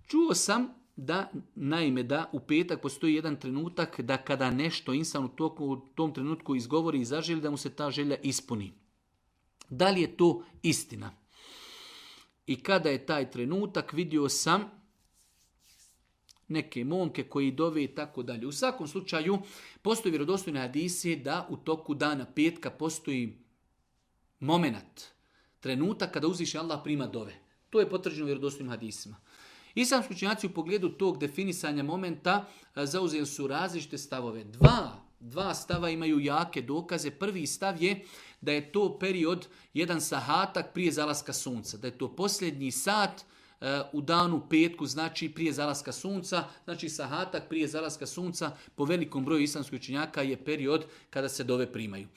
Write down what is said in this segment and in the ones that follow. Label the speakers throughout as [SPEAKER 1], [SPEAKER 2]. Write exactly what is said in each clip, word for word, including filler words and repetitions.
[SPEAKER 1] Čuo sam da, naime, da u petak postoji jedan trenutak da kada nešto insan u, toku, u tom trenutku izgovori i zaželi, da mu se ta želja ispuni. Da li je to istina? I kada je taj trenutak, vidio sam neke momke koji dove i tako dalje. U svakom slučaju, postoji vjerodostojne hadisi da u toku dana petka postoji moment, trenutak kada uzviši Allah prima dove. To je potvrđeno vjerodostojnim hadisima. Islamski učenjaci u pogledu tog definisanja momenta zauzeli su različite stavove. Dva, dva stava imaju jake dokaze. Prvi stav je da je to period, jedan sahatak prije zalaska sunca. Da je to posljednji sat u danu petku, znači prije zalaska sunca. Znači sahatak prije zalaska sunca po velikom broju islamskih učenjaka je period kada se dove primaju.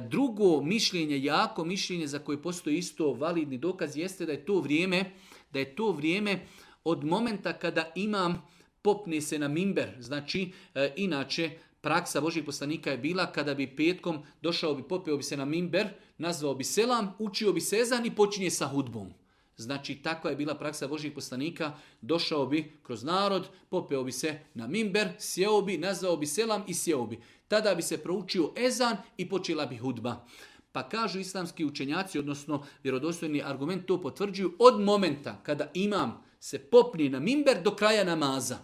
[SPEAKER 1] Drugo mišljenje, jako mišljenje za koje postoji isto validni dokaz, jeste da je to vrijeme, da je to vrijeme od momenta kada imam popne se na mimber. Znači, e, inače, praksa Božih poslanika je bila kada bi petkom došao bi, popeo bi se na mimber, nazvao bi selam, učio bi sezan i počinje sa hudbom. Znači, takva je bila praksa Božih poslanika, došao bi kroz narod, popeo bi se na mimber, sjeo bi, nazvao bi selam i sjeo bi. Tada bi se proučio ezan i počela bi hudba. Pa kažu islamski učenjaci, odnosno vjerodostojni argument to potvrđuju, od momenta kada imam se popni na mimber do kraja namaza.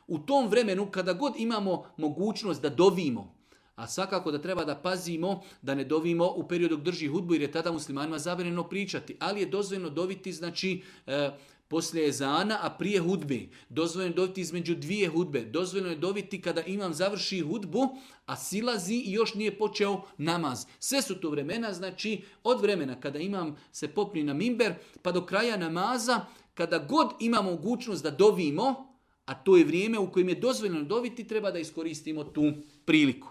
[SPEAKER 1] U tom vremenu kada god imamo mogućnost da dovimo, a svakako da treba da pazimo da ne dovimo u periodu dok drži hudbu jer je tada muslimanima zabranjeno pričati, ali je dozvoljeno doviti znači e, poslije ezana, a prije hudbe. Dozvoljeno je doviti između dvije hudbe. Dozvoljeno je doviti kada imam završi hudbu, a silazi i još nije počeo namaz. Sve su to vremena, znači od vremena kada imam se popni na mimber pa do kraja namaza, kada god imamo mogućnost da dovimo, a to je vrijeme u kojem je dozvoljeno doviti, treba da iskoristimo tu priliku.